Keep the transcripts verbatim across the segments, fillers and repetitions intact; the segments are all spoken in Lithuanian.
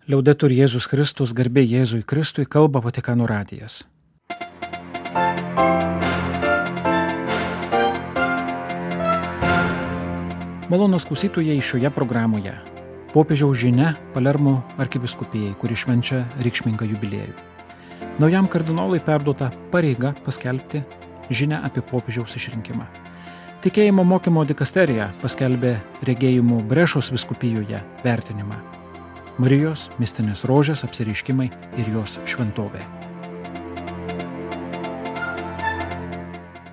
Liaudetur Jėzus Kristus, garbė Jėzui Kristui, kalba Vatikano radijas. Malonūs klausytojai, šioje programoje popiežiaus žinia Palermo arkivyskupijai, kuri švenčia reikšmingą jubiliejų. Naujam kardinolui perduota pareiga paskelbti žinią apie popiežiaus išrinkimą. Tikėjimo mokymo dikasterija paskelbė regėjimų Brešos vyskupijoje vertinimą. Marijos mistinės rožės apsireiškimai ir jos šventovė.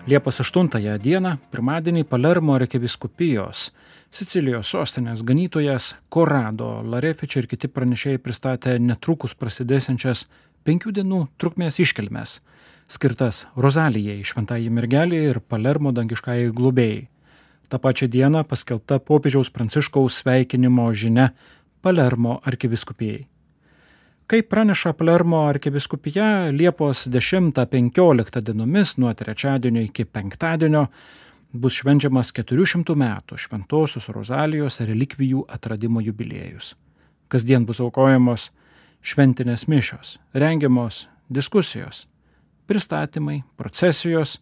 Liepos aštuntąją dieną, pirmadienį Palermo arkivyskupijos Sicilijos sostinės ganytojas Corrado Larefici ir kiti pranešėjai pristatė netrukus prasidėsiančias penkių dienų trukmės iškilmes, skirtas Rozalijai, šventajai mergelei ir Palermo dangiškajai globėjai. Ta pačia diena paskelbta popiežiaus Pranciškaus sveikinimo žinia Palermo arkivyskupijai. Kaip praneša Palermo arkivyskupija, Liepos dešimtą penkioliktą dienomis nuo trečiadienio iki penktadienio bus švenčiamas keturių šimtų metų Šventosios Rozalijos relikvijų atradimo jubiliejus. Kasdien bus aukojamos šventinės mišios, rengiamos diskusijos, pristatymai, procesijos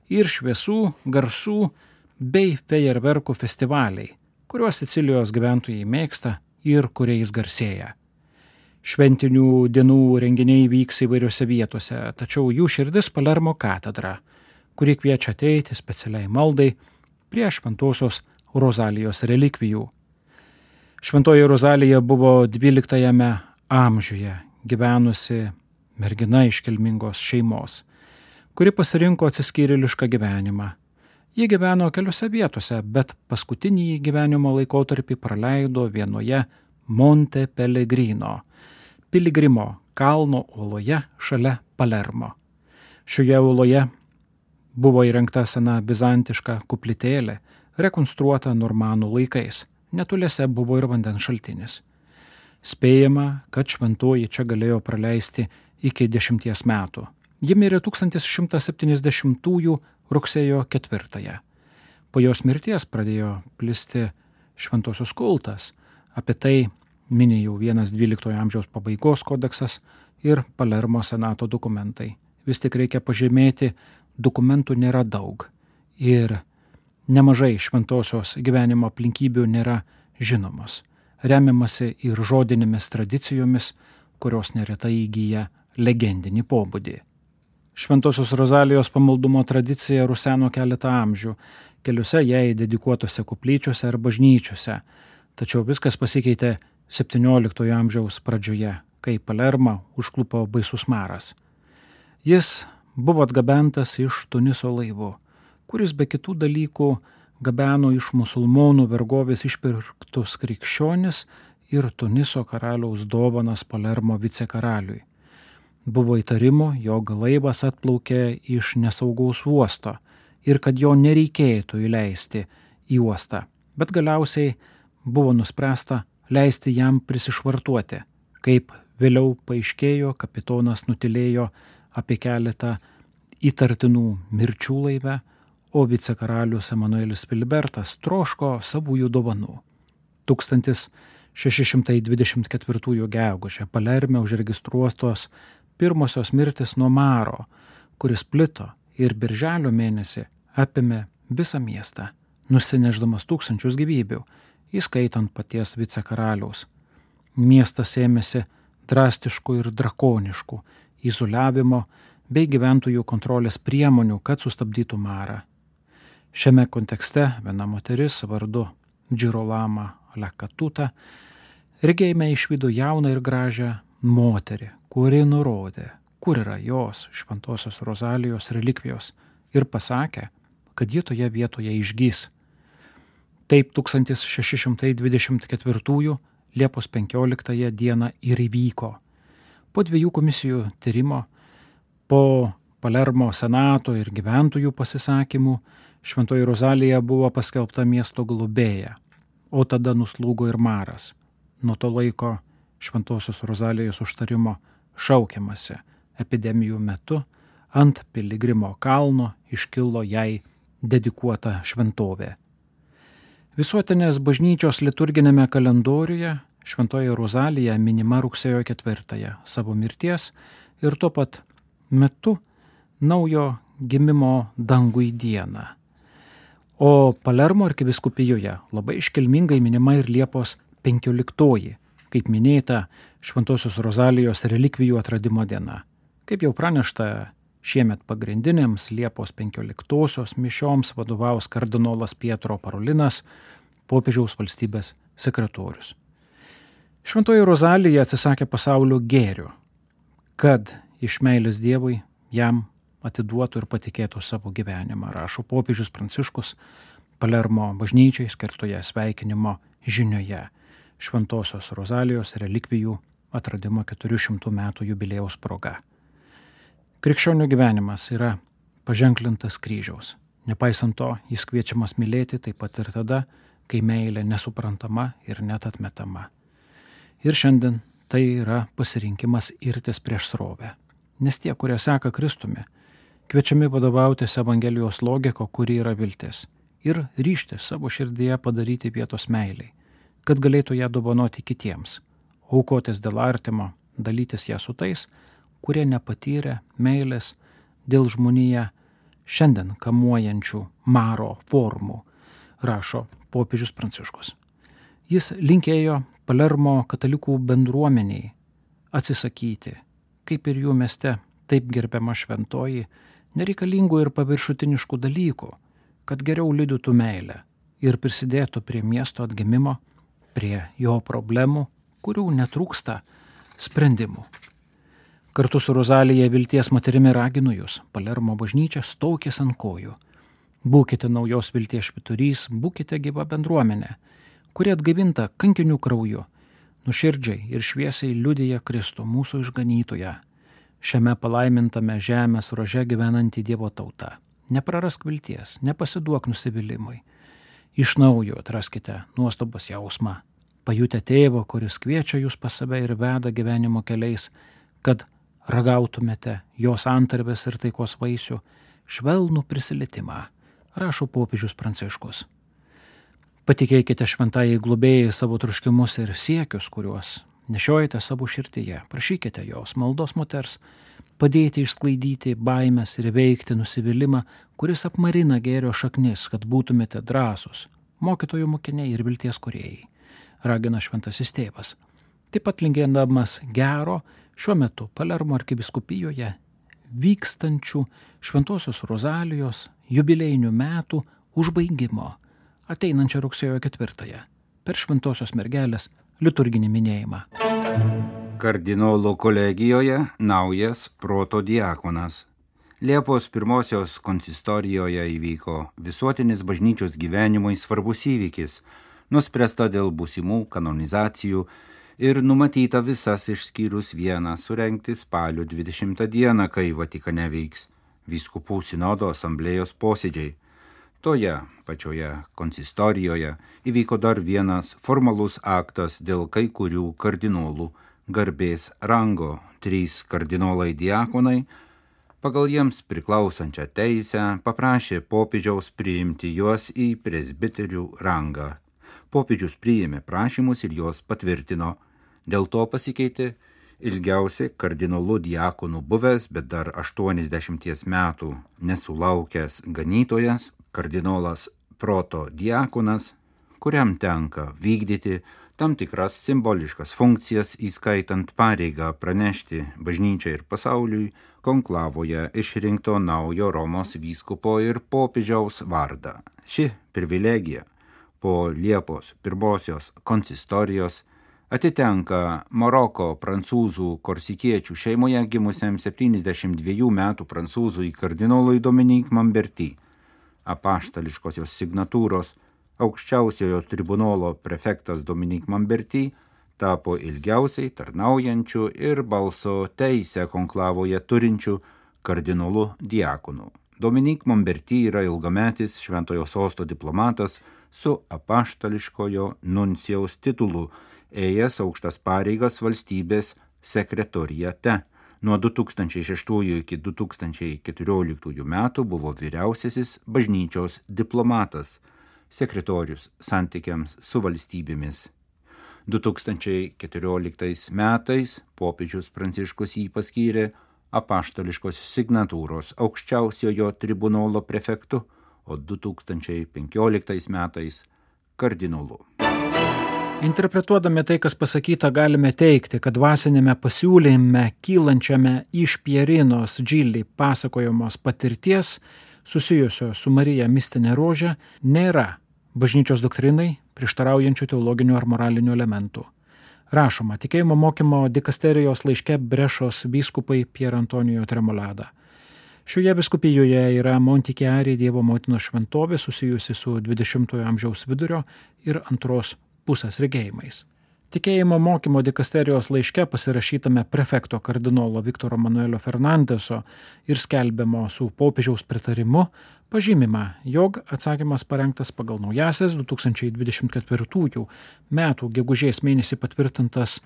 ir šviesų, garsų bei fejerverkų festivaliai, kuriuos Sicilijos gyventojai mėgsta ir kuriais garsėja. Šventinių dienų renginiai vyks įvairiose vietose, tačiau jų širdis Palermo katedra, kuri kviečia ateiti specialiai maldai prie Šventosios Rozalijos relikvijų. Šventoji Rozalija buvo dvyliktajame amžiuje gyvenusi mergina iš kilmingos šeimos, kuri pasirinko atsiskyrėlišką gyvenimą. Ji gyveno keliose vietose, bet paskutinį gyvenimo laikotarpį praleido vienoje Monte Pellegrino, Piligrimo kalno uoloje šalia Palermo. Šioje uoloje buvo įrengta sena bizantiška koplytėlė, rekonstruota normanų laikais. Netoliese buvo ir vandens šaltinis. Spėjama, kad šventoji čia galėjo praleisti iki dešimties metų. Ji mirė tūkstantis šimtas septyniasdešimtųjų rugsėjo ketvirtąją. Po jos mirties pradėjo plisti šventosios kultas. Apie tai mini jau vienas dvyliktojo amžiaus pabaigos kodeksas ir Palermo senato dokumentai. Vis tik reikia pažymėti, dokumentų nėra daug ir nemažai šventosios gyvenimo aplinkybių nėra žinomos. Remiamasi ir žodinėmis tradicijomis, kurios neretai įgyja legendinį pobūdį. Šventosios Rozalijos pamaldumo tradicija ruseno keletą amžių, keliose jai dedikuotose koplyčiose ar bažnyčiose, tačiau viskas pasikeitė septynioliktojo amžiaus pradžioje, kai Palermą užklupo baisus maras. Jis buvo atgabentas iš Tuniso laivu, kuris be kitų dalykų gabeno iš musulmonų vergovės išpirktus krikščionis ir Tuniso karaliaus dovanas Palermo vicekaraliui. Buvo įtarimo, jog laivas atplaukė iš nesaugaus uosto ir kad jo nereikėtų įleisti į uostą, bet galiausiai buvo nuspręsta leisti jam prisišvartuoti. Kaip vėliau paaiškėjo, kapitonas nutilėjo apie keletą įtartinų mirčių laive, o vicekaralius Emanuelis Filibertas troško savųjų dovanų. tūkstantis šeši šimtai dvidešimt ketvirtųjų gegužę Palerme užregistruotos pirmosios mirtis nuo maro, kuris plito ir birželio mėnesį apėmė visą miestą, nusineždamas tūkstančius gyvybių, įskaitant paties vicekaraliaus. Miestas ėmėsi drastiškų ir drakoniškų izoliavimo bei gyventojų kontrolės priemonių, kad sustabdytų marą. Šiame kontekste viena moteris vardu Girolama Lakatuta regėjime išvydo jauną ir gražią moterį, kuri nurodė, kur yra jos Šventosios Rozalijos relikvijos ir pasakė, kad ji toje vietoje išgys. Taip tūkstantis šeši šimtai dvidešimt ketvirtųjų Liepos penkioliktąją dieną ir įvyko. Po dviejų komisijų tyrimo, po Palermo senato ir gyventojų pasisakymų, Šventoji Rozalija buvo paskelbta miesto globėja, o tada nuslūgo ir maras. Nuo to laiko Šventosios Rozalijos užtarimo šaukiamasi. Epidemijų metu ant Piligrimo kalno iškilo jai dedikuota šventovė. Visuotinės bažnyčios liturginėme kalendoriuje Šventoji Rozalija minima rugsėjo ketvirtąją savo mirties ir tuo pat metu naujo gimimo dangui dieną. O Palermo arkivyskupijoje labai iškilmingai minima ir Liepos penkioliktoji, kaip minėta, Šventosios Rozalijos relikvijų atradimo diena. Kaip jau pranešta, šiemet pagrindinėms Liepos penkioliktosios mišioms vadovaus kardinolas Pietro Parolinas, popiežiaus valstybės sekretorius. Šventoji Rozalija atsisakė pasaulio gėrių, kad iš meilės Dievui jam atiduotų ir patikėtų savo gyvenimą, rašo popiežius Pranciškus Palermo bažnyčiai skirtoje sveikinimo žinioje Šventosios Rozalijos relikvijų atradimo keturių šimtų metų jubiliejaus proga. Krikščionių gyvenimas yra paženklintas kryžiaus. Nepaisant to, jis kviečiamas mylėti taip pat ir tada, kai meilė nesuprantama ir net atmetama. Ir šiandien tai yra pasirinkimas irtis prieš srovę. Nes tie, kurie seka Kristumi, kviečiami vadovautis Evangelijos logiko, kuri yra viltis, ir ryžtis savo širdyje padaryti vietos meiliai, kad galėtų ją dovanoti kitiems, aukotis dėl artimo, dalytis ją su tais, kurie nepatyrė meilės dėl žmoniją šiandien kamuojančių maro formų, rašo popiežius Pranciškus. Jis linkėjo Palermo katalikų bendruomeniai atsisakyti, kaip ir jų mieste taip gerbiama šventoji, nereikalingų ir paviršutiniškų dalykų, kad geriau liudytų meilę ir prisidėtų prie miesto atgimimo, prie jo problemų, kurių netrūksta sprendimų. Kartu su Rozalija vilties moterimi raginu jūs, Palermo bažnyčia, stokis ant kojų. Būkite naujos vilties švyturys, būkite gyva bendruomenė, kuri atgaivinta kankinių krauju, nuširdžiai ir šviesiai liudija Kristų, mūsų išganytoją, šiame palaimintame žemės rože gyvenantį Dievo tautą. Neprarask vilties, nepasiduok nusivylimui. Iš naujo atraskite nuostabos jausmą, pajutę tėvo, kuris kviečia jūs pas save ir veda gyvenimo keliais, kad ragautumėte jos antarvės ir taikos vaisių, švelnų prisilietimą, rašo popiežius Pranciškus. Patikėkite šventajai globėjai savo troškimus ir siekius, kuriuos nešiojate savo širdyje. Prašykite jos, maldos moters, padėti išsklaidyti baimės ir veikti nusivylimą, kuris apmarina gėrio šaknis, kad būtumėte drąsūs, mokytojų mokiniai ir vilties kūrėjai, ragina šventasis tėvas. Taip pat linkėdamas gero šiuo metu Palermo arkivyskupijoje vykstančių Šventosios Rozalijos jubiliejinių metų užbaigimo, ateinančią rugsėjo ketvirtąją, per Šventosios mergelės liturginį minėjimą. Kardinolų kolegijoje naujas protodiakonas. Liepos pirmosios konsistorijoje įvyko visuotinis bažnyčios gyvenimui svarbus įvykis, nuspręsta dėl būsimų kanonizacijų ir numatyta visas išskyrus vieną surengti spalio dvidešimtą dieną, kai Vatikane veiks vyskupų sinodo asamblėjos posėdžiai. Toje pačioje konsistorijoje įvyko dar vienas formalus aktas dėl kai kurių kardinolų garbės rango. Trys kardinolai diakonai pagal jiems priklausančią teisę paprašė popiežiaus priimti juos į presbiterių rangą. Popiežius priėmė prašymus ir juos patvirtino. Dėl to pasikeitė ilgiausiai kardinolų diakonų buvęs, bet dar aštuoniasdešimties metų nesulaukęs ganytojas, kardinolas protodiakonas, kuriam tenka vykdyti tam tikras simboliškas funkcijas, įskaitant pareigą pranešti bažnyčiai ir pasauliui konklavoje išrinkto naujo Romos vyskupo ir popiežiaus vardą. Ši privilegija po Liepos pirmosios konsistorijos atitenka Maroko prancūzų korsikiečių šeimoje gimusiam septyniasdešimt dviejų metų prancūzui kardinolui Dominique Mamberti. Apaštališkosios signatūros aukščiausiojo tribunolo prefektas Dominique Mamberti tapo ilgiausiai tarnaujančių ir balso teisę konklavoje turinčių kardinolų diakonų. Dominique Mamberti yra ilgametis Šventojo Sosto diplomatas su apaštališkojo nuncijaus titulu, ėjęs aukštas pareigas valstybės sekretoriate. Nuo du tūkstančiai šeštųjų iki du tūkstančiai keturioliktųjų metų buvo vyriausiasis bažnyčios diplomatas, sekretorius santykiams su valstybėmis. du tūkstančiai keturioliktais metais popiežius Pranciškus jį paskyrė apaštališkos signatūros aukščiausiojo tribunolo prefektu, o du tūkstančiai penkioliktais metais kardinolu. Interpretuodami tai, kas pasakyta, galime teikti, kad dvasinėme pasiūlyme kylančiame iš Pierinos Džili pasakojamos patirties susijusios su Marija mistinė rožė nėra bažnyčios doktrinai prieštaraujančių teologinių ar moralinių elementų. Rašoma tikėjimo mokymo dikasterijos laiške Brešos vyskupai Pier Antonijo Tremolada. Šioje vyskupijoje yra Montichiari Dievo motinos šventovė susijusi su dvidešimtojo amžiaus vidurio ir antros pusės regėjimais. Tikėjimo mokymo dikasterijos laiške pasirašytame prefekto kardinolo Viktoro Manuelio Fernandeso ir skelbiamo su popiežiaus pritarimu pažymima, jog atsakymas parengtas pagal naujasias du tūkstančiai dvidešimt ketvirtųjų metų gegužės mėnesį patvirtintas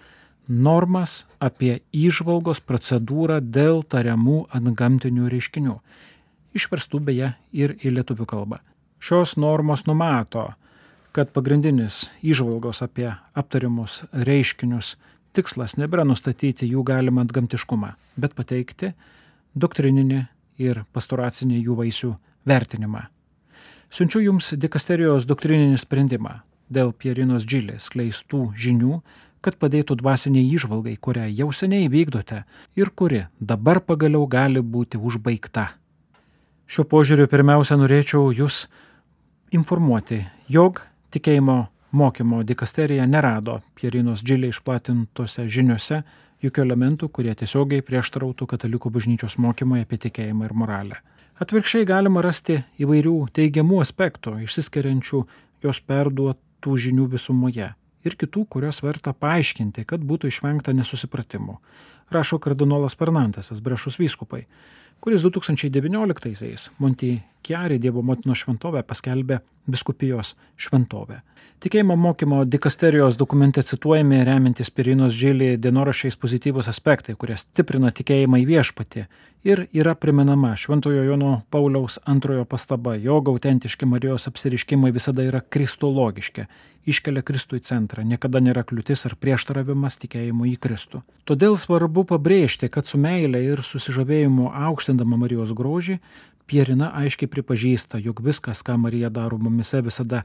normas apie įžvalgos procedūrą dėl tariamų antgamtinių reiškinių, išverstų beje ir į lietuvių kalbą. Šios normos numato, kad pagrindinis įžvalgos apie aptariamus reiškinius tikslas nebėra nustatyti jų galimą antgamtiškumą, bet pateikti doktrininį ir pastoracinį jų vaisių vertinimą. Siunčiu jums dikasterijos doktrininį sprendimą dėl Pierinos Džili skleistų žinių, kad padėtų dvasiniai įžvalgai, kurią jau seniai vykdote ir kuri dabar pagaliau gali būti užbaigta. Šiuo požiūriu pirmiausia norėčiau jūs informuoti, jog tikėjimo mokymo dikasterija nerado Pierinos Džili išplatintose žiniose jokių elementų, kurie tiesiogiai prieštarautų katalikų bažnyčios mokymui apie tikėjimą ir moralę. Atvirkščiai galima rasti įvairių teigiamų aspektų, išsiskiriančių jos perduotų žinių visumoje ir kitų, kurios verta paaiškinti, kad būtų išvengta nesusipratimų, rašo kardinolas Fernandesas, Brešos vyskupai, kuris du tūkstančiai devynioliktaisiais Montichiari Dievo motinos šventovę paskelbė vyskupijos šventovę. Tikėjimo mokymo dikasterijos dokumente cituojami remiantis Pierinos Džili dienoraščiais pozityvus aspektai, kurie stiprina tikėjimą į viešpatį ir yra primenama Šventojo Jono Pauliaus antrojo pastaba, jog autentiški Marijos apsireiškimai visada yra kristologiški, iškelia Kristų į centrą, niekada nėra kliūtis ar prieštaravimas tikėjimu į Kristų. Todėl svarbu pabrėžti, kad su meile ir susižavėjimu aukštindama Marijos grožį, Pierina aiškiai pripažįsta, jog viskas, ką Marija daro mumise, visada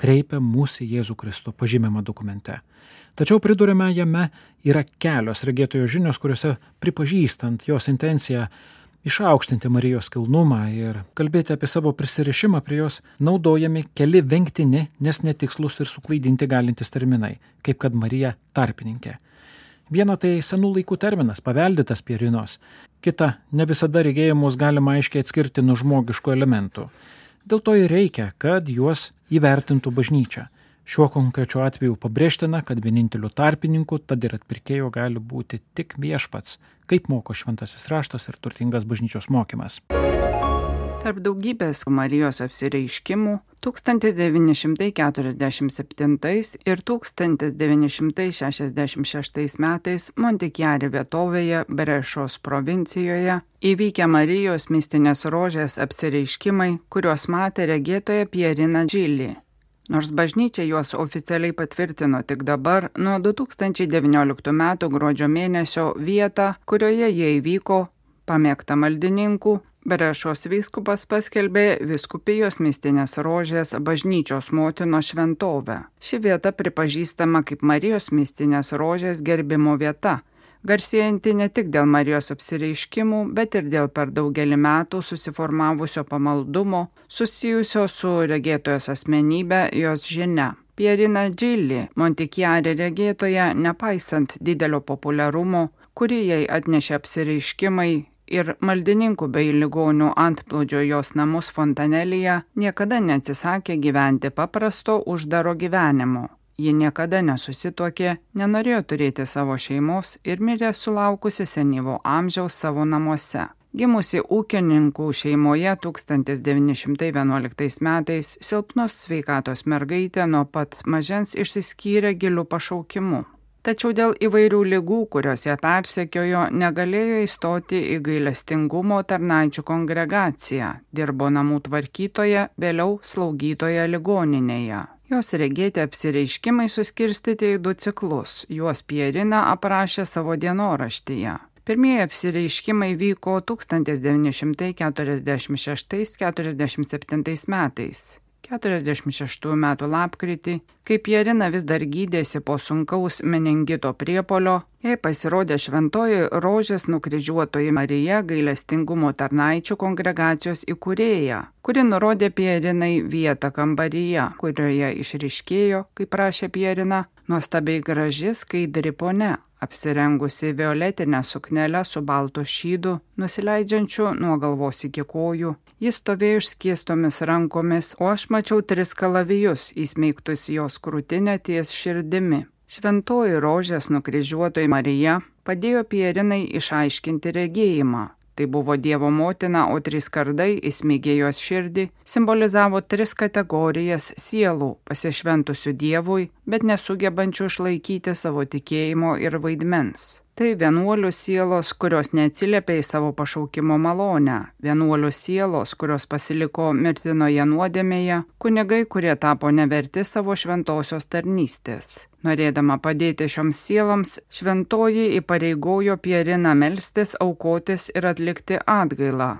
kreipia mūsų į Jėzų Kristų, pažymima dokumente. Tačiau pridurime jame yra kelios regėtojo žinios, kuriuose pripažįstant jos intenciją išaukštinti Marijos kilnumą ir kalbėti apie savo prisirišimą prie jos, naudojami keli vengtini, nes netikslus ir suklaidinti galintys terminai, kaip kad Marija tarpininkė. Viena tai senų laikų terminas, paveldėtas Pierinos, kita ne visada regėjimus galima aiškiai atskirti nuo žmogiškų elementų. Dėl to ir reikia, kad juos įvertintų bažnyčia. Šiuo konkrečiu atveju pabrėžtina, kad vieninteliu tarpininku, tad ir atpirkėjo gali būti tik viešpats, kaip moko šventasis raštas ir turtingas bažnyčios mokymas. Tarp daugybės Marijos apsireiškimų tūkstantis devyni šimtai keturiasdešimt septintais ir tūkstantis devyni šimtai šešiasdešimt šeštais metais Montichiari vietovėje Brešos provincijoje įvykę Marijos mistinės rožės apsireiškimai, kuriuos matė regėtoja Pierina Džili. Nors bažnyčia juos oficialiai patvirtino tik dabar, nuo du tūkstančiai devynioliktų metų gruodžio mėnesio vietą, kurioje jie įvyko, pamėgta maldininkų, Brešos vyskupas paskelbė vyskupijos mistinės rožės bažnyčios motinos šventovę. Ši vieta pripažįstama kaip Marijos mistinės rožės gerbimo vieta, garsėjanti ne tik dėl Marijos apsireiškimų, bet ir dėl per daugelį metų susiformavusio pamaldumo, susijusio su regėtojos asmenybė, jos žinia. Pierina Džili, Montichiari regėtoja, nepaisant didelio populiarumo, kurį jai atnešė apsireiškimai ir maldininkų bei ligonių antplūdžio jos namus Fontanelyje, niekada neatsisakė gyventi paprasto uždaro gyvenimo. Ji niekada nesusituokė, nenorėjo turėti savo šeimos ir mirė sulaukusi senyvo amžiaus savo namuose. Gimusi ūkininkų šeimoje tūkstantis devyni šimtai vienuoliktais metais, silpnos sveikatos mergaitė nuo pat mažens išsiskyrė giliu pašaukimu. Tačiau dėl įvairių ligų, kurios ją persekiojo, negalėjo įstoti į gailestingumo tarnaičių kongregaciją, dirbo namų tvarkytoja, vėliau slaugytoja ligoninėje. Jos regėti apsireiškimai suskirstyti į du ciklus, juos Pierina aprašė savo dienoraštyje. Pirmieji apsireiškimai vyko tūkstantis devyni šimtai keturiasdešimt šeštais keturiasdešimt septintais metais. keturiasdešimt šeštųjų metų lapkritį, kai Pierina vis dar gydėsi po sunkaus meningito priepolio, jai pasirodė šventoji Rožės nukryžiuotoji Marija gailestingumo tarnaičių kongregacijos įkūrėja, kuri nurodė Pierinai vietą kambaryje, kurioje išryškėjo, kaip prašė Pierina, nuostabiai graži skaidri ponia, apsirengusi violetinę suknelę su baltu šydu, nusileidžiančiu nuo galvos iki kojų. Jis stovėjo išskėstomis rankomis, o aš mačiau tris kalavijus įsmeigtus jos krūtinę ties širdimi. Šventoji Rožės nukryžiuotoji Marija padėjo Pierinai išaiškinti regėjimą. Tai buvo Dievo motina, o trys kardai įsmeigė jos širdį, simbolizavo tris kategorijas sielų, pasišventusių Dievui, bet nesugebančių išlaikyti savo tikėjimo ir vaidmens. Tai vienuolių sielos, kurios neatsiliepė į savo pašaukimo malonę, vienuolių sielos, kurios pasiliko mirtinoje nuodėmėje, kunigai, kurie tapo neverti savo šventosios tarnystės. Norėdama padėti šioms sieloms, šventoji įpareigojo Pieriną melstis, aukotis ir atlikti atgailą.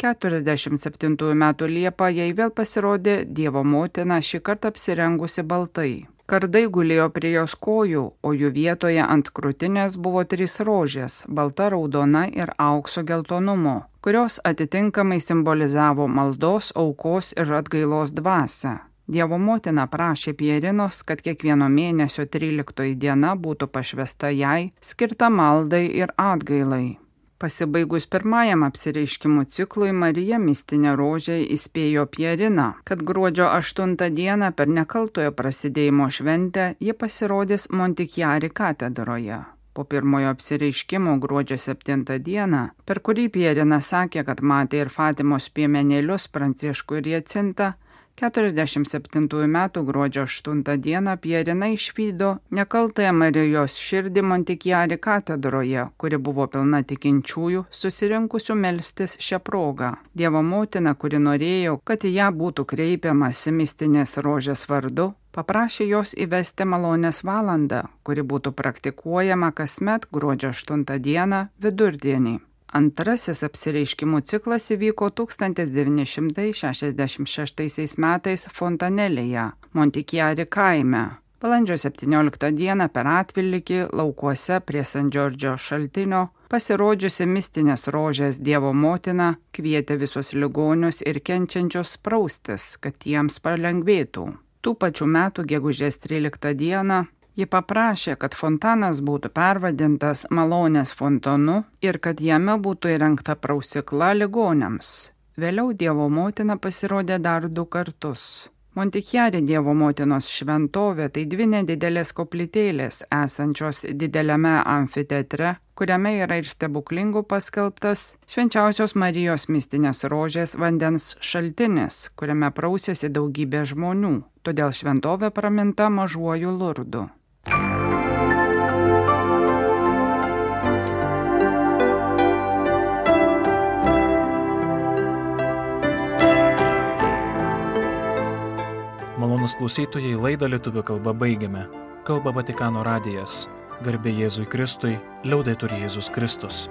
keturiasdešimt septintųjų metų Liepą jai vėl pasirodė Dievo motina, šį kartą apsirengusi baltai. Kardai gulėjo prie jos kojų, o jų vietoje ant krūtinės buvo trys rožės, balta, raudona ir aukso geltonumo, kurios atitinkamai simbolizavo maldos, aukos ir atgailos dvasią. Dievo motina prašė Pierinos, kad kiekvieno mėnesio tryliktoji diena būtų pašvęsta jai, skirta maldai ir atgailai. Pasibaigus pirmajam apsireiškimų ciklui, Marija mistinė rožė įspėjo Pieriną, kad gruodžio aštuntą dieną per nekaltojo prasidėjimo šventę ji pasirodys Montikjari katedroje. Po pirmojo apsireiškimo gruodžio septintą dieną, per kurį Pierina sakė, kad matė ir Fatimos piemenėlius Pranciškų ir Jacintą, keturiasdešimt septintųjų metų gruodžio aštuntą dieną Pierina išvydo nekaltąją Marijos širdį Montikjari katedroje, kuri buvo pilna tikinčiųjų, susirinkusių melstis šią progą. Dievo motina, kuri norėjo, kad į ją būtų kreipiamasi mistinės rožės vardu, paprašė jos įvesti malonės valandą, kuri būtų praktikuojama kasmet gruodžio aštuntą dieną vidurdienį. Antrasis apsireiškimų ciklas įvyko tūkstantis devyni šimtai šešiasdešimt šeštaisiais metais Fontanelėje, Montikjari kaime. Balandžio septynioliktą dieną per atvillikį laukuose prie San Džordžio šaltinio pasirodžiusi mistinės rožės Dievo motina kvietė visus ligonius ir kenčiančius praustis, kad jiems palengvėtų. Tų pačių metų gegužės tryliktą dieną ji paprašė, kad fontanas būtų pervadintas Malonės fontanu ir kad jame būtų įrengta prausikla ligoniams. Vėliau Dievo motina pasirodė dar du kartus. Montikjari Dievo motinos šventovė tai dvi nedidelės koplytėlės esančios dideliame amfiteatre, kuriame yra ir stebuklingų paskelbtas Švenčiausios Marijos mistinės rožės vandens šaltinis, kuriame prausėsi daugybė žmonių, todėl šventovė praminta Mažuoju Lurdu. Malonūs klausytojai, laidą lietuvių kalba baigiame. Kalba Vatikano radijas. Garbė Jėzui Kristui, liaudetur Jėzus Kristus.